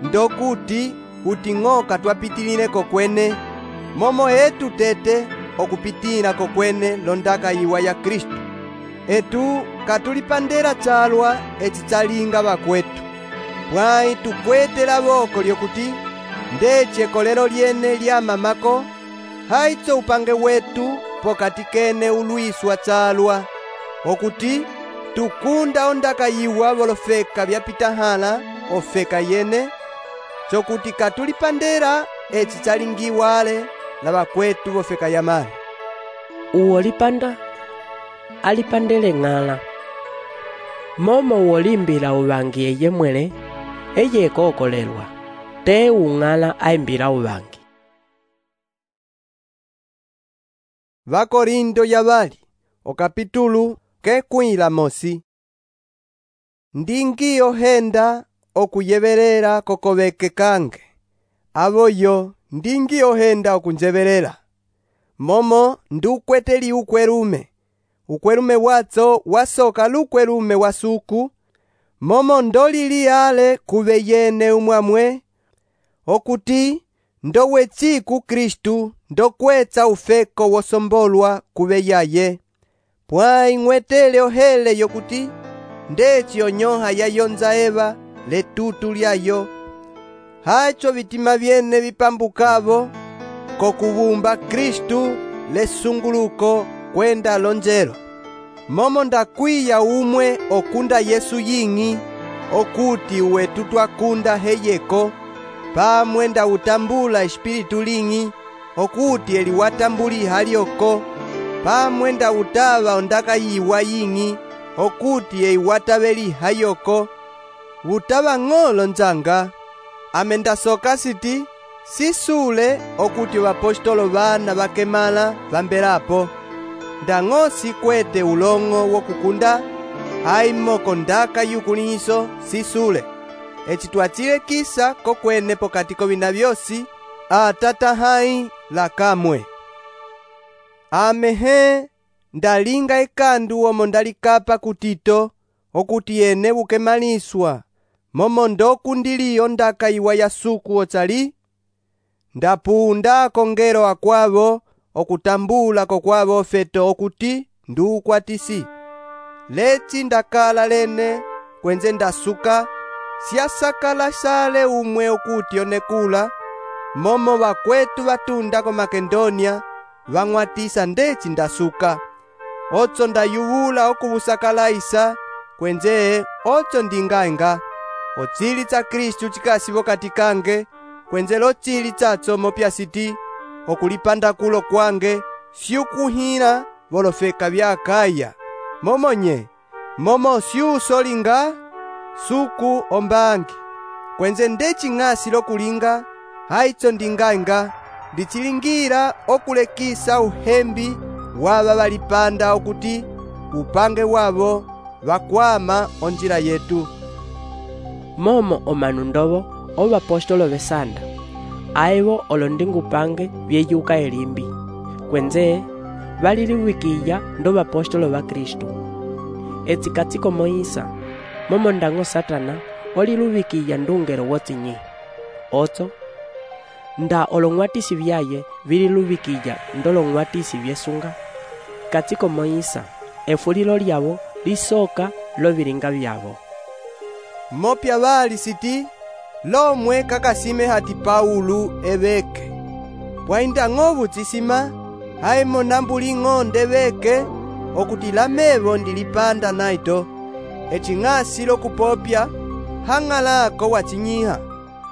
ndokuti kuti ng'o katwapitilile kokwene momo etu tete okupitila kokwene londaka yiwa ya Kristu, etu katulipandela chalwa eci tsalinga bakwetu, pwai tukwetela boko lyokuti ndeci ekolelo lyene lya mamako haitso upange wetu pokati kene ulwiswa chalwa okuti tukunda ondaka yiwa bolofeka byapita hala ofeka yene chokuti katulipandela eci tsalingiwale la bakwetu bofeka yamale. Uwo lipanda alipandele ng'ala, momo uwolimbila ubangi eye mwele eye kokolelwa te ung'ala aimbila ubangi. Vakorindo ya bali okapitulu kekwila mosi. Ndingi ohenda okuyebelela kokobeke kange, aboyo ndingi ohenda okunjebelela, momo ndukweteli ukwelume, ukwelume watso wasoka lukwelume wasuku, momo ndolili ale kube yene umwamwe, okuti ndowechi ku Kristu ndokwetsa ufeko wosombolwa kube yaye, pwai ng'wetele ohele yokuti ndeci onyoha yayonza eva letutu lyayo, hacho vitima vyene vipambukavo kokubumba Kristu lesunguluko kwenda lonjelo, momo ndakwiya umwe okunda Yesu ying'i okuti uwetu twakunda heyeko pamwe ndawutambula espiritu ling'i okuti eliwatambuliha lyoko pamwe nda utava ondaka yiwa ying'i okuti eiwataveli hayoko utava ng'olo nzanga ame ndasoka siti sisule okuti vapostolo vana vakemala vambelapo ndang'osi kwete ulong'o wokukunda haimoko ndaka yukuliso sisule eci twacilekisa kokwene pokati kovina vyosi atata hai lakamwe. Amehe ndalinga ekandu omo ndalikapa kutito okuti yene bukemaliswa momo ndokundiliyo ndaka iwa yasuku otsali ndapunda kongero akwavo okutambula kokwavo ofeto okuti ndukwatisi leci ndakala lene kwenze ndasuka siasakala sale umwe okuti onekula momo vakwetu vatunda ko Makedonia vang'watisa ndeci ndasuka otso ndayuwula okuvusakalaisa kwenze otso ndingaenga otsili tsa Kristu cikasivo kati kange kwenze lotsili tsatso mopya siti okulipanda kulo kwange siukuhila volofeka vya Akaya momonye momo siusolinga suku ombangi kwenze ndeci ng'asi lokulinga haitso ndingaenga ndichilingira okulekisa uhembi wava valipanda okuti upange wavo vakwama onjila yetu. Momo omanu ndovo ovapostolo vesanda aivo olondingupange vyeyuka elimbi kwenze valiliwikiya ndo vapostolo va Kristu etsikatiko Moisa momo ndango Satana oliluwikiya ndungero wotsinyi otso nda olong'watisi vyaye vililuwikiya ndolong'watisi vyesunga katiko Moisa efulilo lyavo lisoka lovilinga vyavo mopya vali siti lomwe kakasime hati Paulu eveke pwainda ng'ovu tsisima haimo nambuling'o ndeveke okuti lamevo ndilipanda naito eci ng'asi lokupopya hang'alako wachinyiha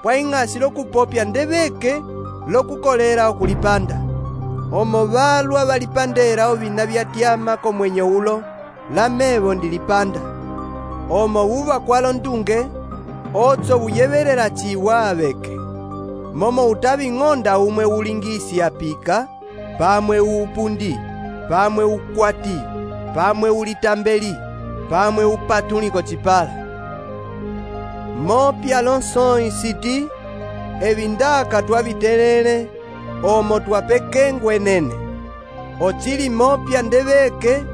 pwaing'asi lokupopya ndeveke lokukolera okulipanda omo valwa valipandera ovina vyatyama komwenyo ulo lamevo ndilipanda omo uva kwalo ndunge otso uyevelela chiwa aveke momo utaving'onda umwe ulingisi apika pamwe uupundi pamwe ukwati pamwe ulitambeli pamwe upatuliko chipala mopya lonsoi siti evindaka twavitelele omo twapekengwe nene ochili mopya ndeveke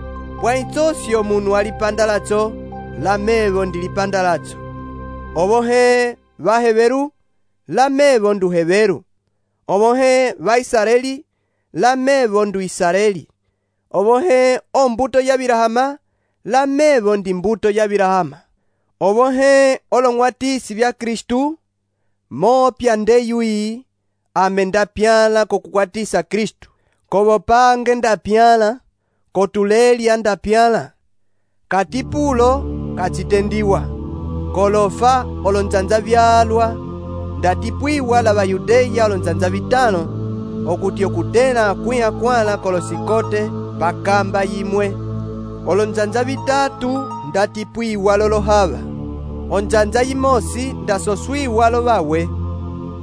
pwaitsosi omunu alipandalacho lamevo ndilipandalacho ovohe vaheveru lamevo nduheveru ovohe vaisraeli lamevo ndu Israeli ovohe ombuto ya Birahama lamevo ndi mbuto ya Birahama ovohe olong'watisi vya Kristu mopya ndeyui ame ndapyala kokukwatisa Kristu kovopange ndapyala kotulelya ndapyala katipulo kacitendiwa kolofa olonzanza vyalwa ndatipwiwa la Bayudeya olonzanza vitano okuti okutela kwiha kwala kolosikote pakamba yimwe olonzanza vitatu ndatipwiwa lolohava onzanza yimosi ndasoswiwa lovawe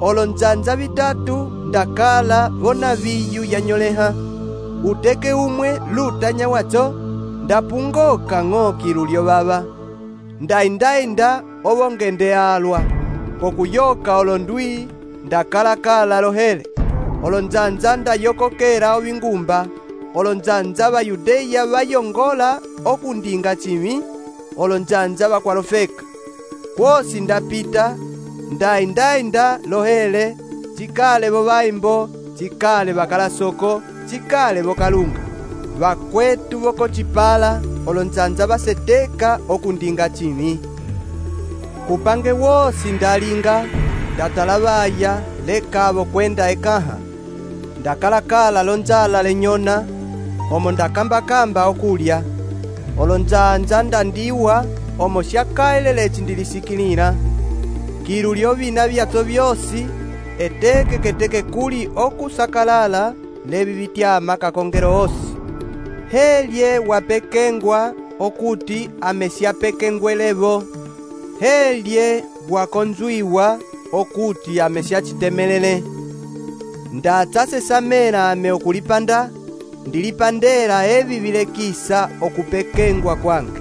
olonzanza vitatu ndakala vona viyu yanyoleha uteke umwe lutanya wacho ndapungoka ng'oki lulyo vava ndaindainda ovongende alwa kokuyoka olondwi ndakalakala lohele olonzanza ndayokokera ovingumba olonzanza Bayudeya vayongola okundinga chimi olonzanza vakwalofeka kwosi ndapita ndaindainda lohele chikale vovaimbo chikale vakalasoko chikale vokalunga vakwetu vokochipala olonzanza vaseteka okundinga chimi kupange wosi ndalinga ndatalavaya lekavo kwenda ekaha ndakalakala lonzala lenyona omo ndakambakamba okulya olonzanza ndandiwa omo syakaeleleci ndilisikilila kilu lyovina vyatso vyosi eteke keteke kuli okusakalala levi vityama kakongero osi helye wapekengwa okuti amesiapekengwelevo, helye wakonzwiwa okuti amesiachitemelele. Ndatsasesamela ame okulipanda, ndilipandela evi vilekisa okupekengwa kwange.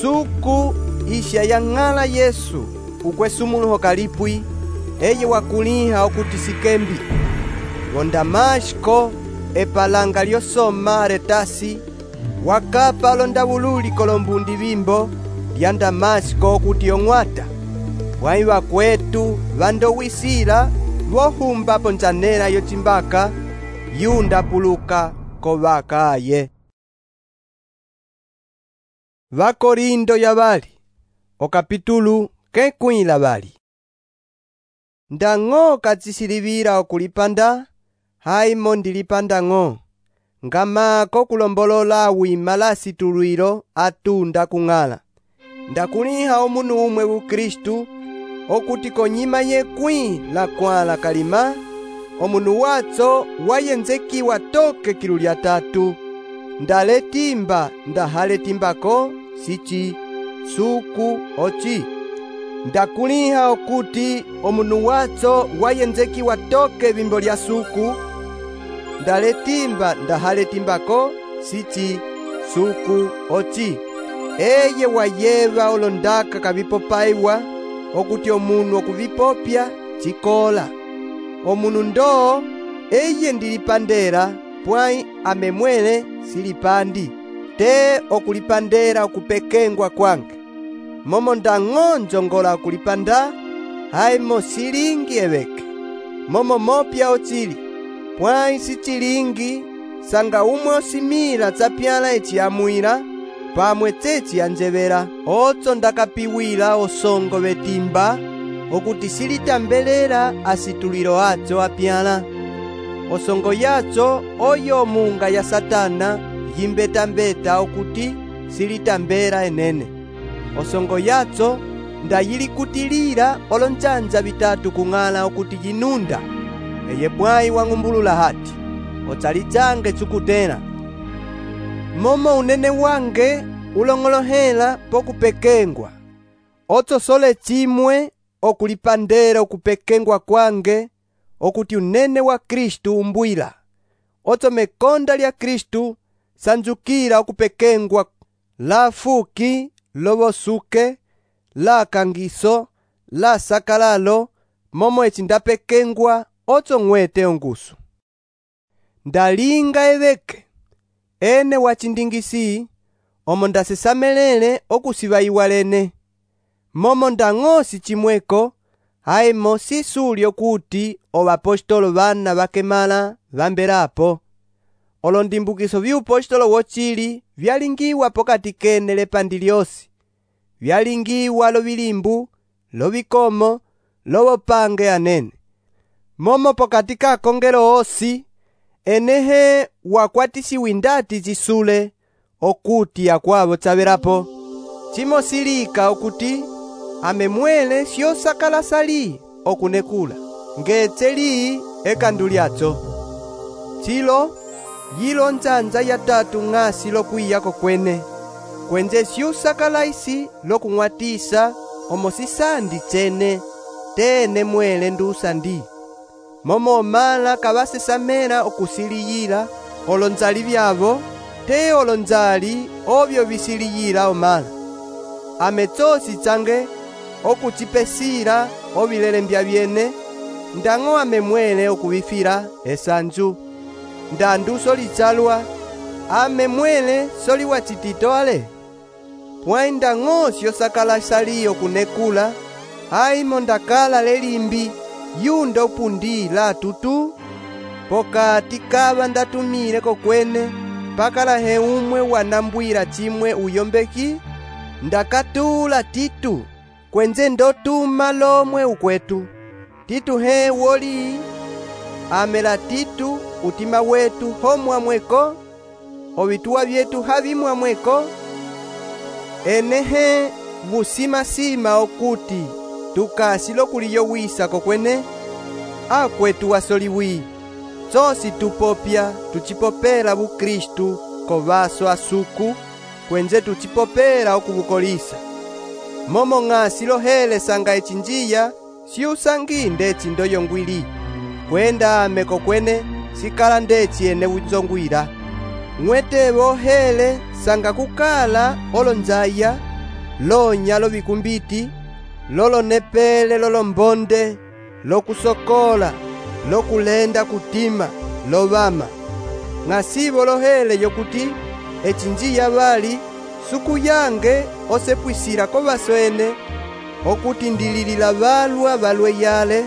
Suku isha yang'ala Yesu ukwesumuluho kalipwi, eye wakuliha okuti sikembi. Go Damashko epalanga lyosoma retasi, wakapa londavululi kolombundi vimbo lya Damashko okuti yong'wata. Bwai bakwetu vandowisila vohumba ponzanela yochimbaka yunda puluka kovaka aye. Vakorindo ya bali okapitulu kekwila bali. Ndang'o katsisilivira okulipanda, haimo ndilipanda ng'o. Ngamako kulombolola wima la situlwilo atunda kung'ala. Ndakuliha omunu umwe u Kristu, okuti konyima yekwi la kwala kalima, omunu watso wayenzekiwa toke kilu lya tatu. Ndaletimba ndahaletimbako sichi, suku ochi. Ndakuliha okuti omunu watso wayenzekiwa toke bimbo lya suku, ndaletimba ndahaletimbako sichi, suku ochi. Eye wayeva olondaka kavipopaiwa, okuti omunu okuvipopya chikola. Omunu ndo eye ndilipandera, pwai amemwele silipandi, te okulipandera okupekengwa kwange. Momo ndang'o njongola okulipanda, haimo silingi eveke. Momo mopya ochili, pwai sichilingi, sanga umwe osimila tsapyala echiamwila, pamwe tsechi anjevera. Otso ndakapiwila osongo betimba, okuti silitambelela asitulilo acho apyala. Osongo yacho oyo munga ya Satana yimbeta-mbeta okuti silitambela enene. Osongo yacho ndayilikutilila olonjanja bitatu kung'ala okuti yinunda. Eye bwai wang'umbulula hati, otsalijange chukutela. Momo unene wange ulong'olohela pokupekengwa. Otso sole chimwe okulipandela okupekengwa kwange, okuti unene wa Kristu umbwila. Otso mekonda lya Kristu sanjukila okupekengwa la fuki, lobosuke, la kangiso, la sakalalo, momo echi ndapekengwa otso ng'wete ongusu. Ndalinga eveke, ene wachindingisi, omo ndasesamelele okusiba iwalene. Momo ndang'osi chimweko, haimo sisuli okuti obapostolo bana bakemala bambelapo. Olondimbukiso byupostolo wochili vyalingiwa pokati kene lepandi lyosi. Vyalingiwa lobilimbu, lobikomo, lobopange anene. Momo pokati kakongelo osi, enehe wakwatisiwa indati zisule, okuti akwabo tsabelapo. Chimo silika okuti amemwele syosakala sali okunekula, ngetseli ekandu lyacho. Chilo yilo nzanza ya tatu ng'asi lokwiyako kwene, kwenze syusakala isi lokung'watisa omo sisandi chene, tene mwele ndusandi. Momo omala kabasesamela okusiliyila olonzali byabo, te olonzali obyo bisiliyila omala. Ametsosi change okuchipesila obilele mbya byene, ndang'o amemwele okubifila esanju. Ndandu solichalwa, amemwele soli wachitito ale. Pwai ndang'o syosakala sali okunekula, haimo ndakala lelimbi, yunda upundi la tutu. Pokati kaba ndatumile kokwene, pakala he umwe wanambwila chimwe uyombeki, ndakatula Titu, kwenze ndotuma lomwe ukwetu. Titu he woli, amela Titu utima wetu homwa mweko, obituwa byetu habimwa mweko. Enehe busima-sima okuti tukasilo kuliyowisa kokwene, akwetu wasoliwi. Tsosi tupopya tuchipopela bu Kristu ko vaso asuku kwenze tuchipopera okubukolisa. Momo ng'asi lohele sanga echinjiya siusangi ndeci ndoyongwili. Kwenda ameko kwene sikala ndeci ene uzongwira. Mwete bohele sanga kukala olonjaya, lonya lovikumbiti, lolo nepele lolo mbonde, lokusokola, lokulenda kutima, lovama. Ngasibo lohele yokuti echinjiya bali suku yange osepwisira ko baswene okuti ndililila balwa balwe yale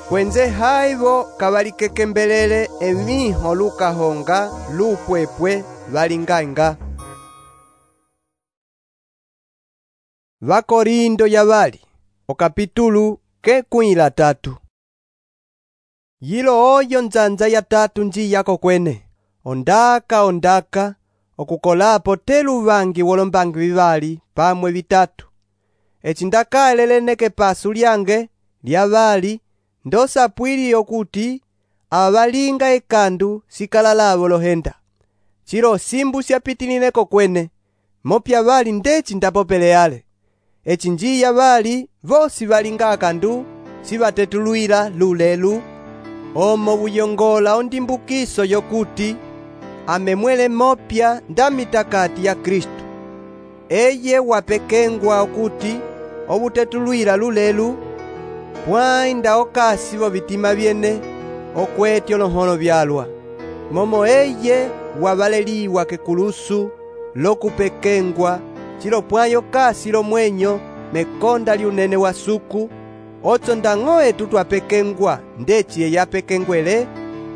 kwenze haibo kabalikekembelele emiho lukahonga lupwepwe balinganga. Vakorindo ya bali okapitulu ke kuila tatu. Yilo oyo nzanza ya tatu nji yako kwene ondaka ondaka okukolapo telu bangi wolombangi bibali pamwe bitatu. Echindaka eleleneke pasu lyange lya bali ndosapwili okuti abalinga ekandu sikala labo lohenda. Chilo simbu syapitilineko kwene mopya bali ndeci ndapopele yale. Echinjiya bali vosi balinga akandu sibatetuluila lulelu omo buyongola ondimbukiso yokuti amemwele mopya ndamitakati ya Kristo. Eye wapekengwa okuti obutetuluila lulelu pwainda okasi bo bitima byene okwetyo lonhono byalwa. Momo eye wabaleliwa kekulusu lokupekengwa chilo pwayo kasi lo mwenyo mekonda liunene wa suku ocho ndang'oe tutwapekengwa ndeci eyapekengwele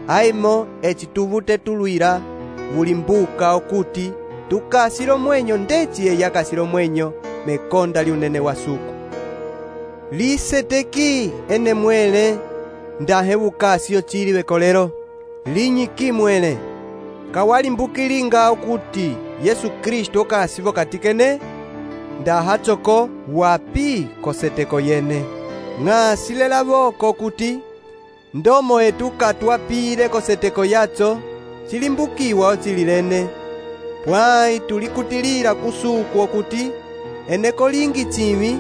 aimo echitubutetuluila bulimbuka okuti tukasi lo mwenyo ndeci eyakasi lo mwenyo mekonda liunene wa suku. Liseteki ene mwele ndahe bukasi ochili bekolero linyiki mwele kawalimbukilinga okuti Yesu Kristo okasibo katikene ndahachoko wapi koseteko yene. Ng'asilela boko okuti ndomo etu katwapile koseteko yacho chilimbukiwa ochililene pwai tulikutilila kusuku okuti eneko lingi chimi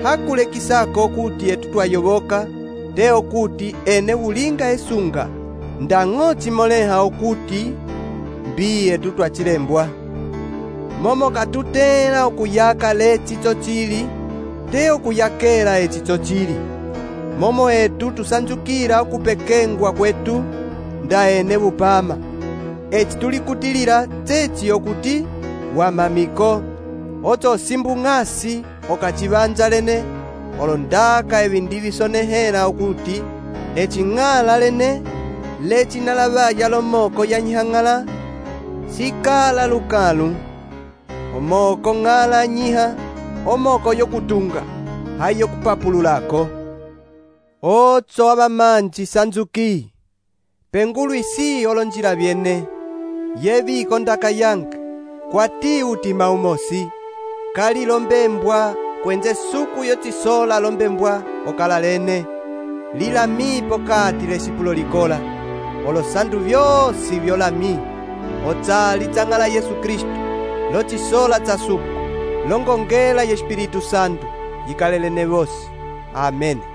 hakulekisako okuti etu twayoboka te okuti ene bulinga esunga ndang'o chimoleha okuti mbi etu twachilembwa. Momo katutela okuyaka lechicho chili te okuyakela echicho chili. Momo etu tusanjukila okupekengwa kwetu nda ene bupama. Echi tulikutilila chechi okuti wamamiko ocho simbu ng'asi okachibanja lene olondaka ebindibisonehela okuti eching'ala lene lechinalabaya lomoko ya nyihang'ala sikala lukalu omoko ng'ala nyiha omoko yokutunga hayo kupapululako. Ocho abamanji sanzuki pengulu isi olonjila byene yebiko ndaka yange kwati utima umosi kali lombembwa kwenze suku yochisola lombembwa okalalene lilami pokati lesipulo likola olosandu byosi byolami ochali chang'ala Yesu Kristo lochisola cha suku longongela ye Espiritu Santo yikalelene bosi. Amen.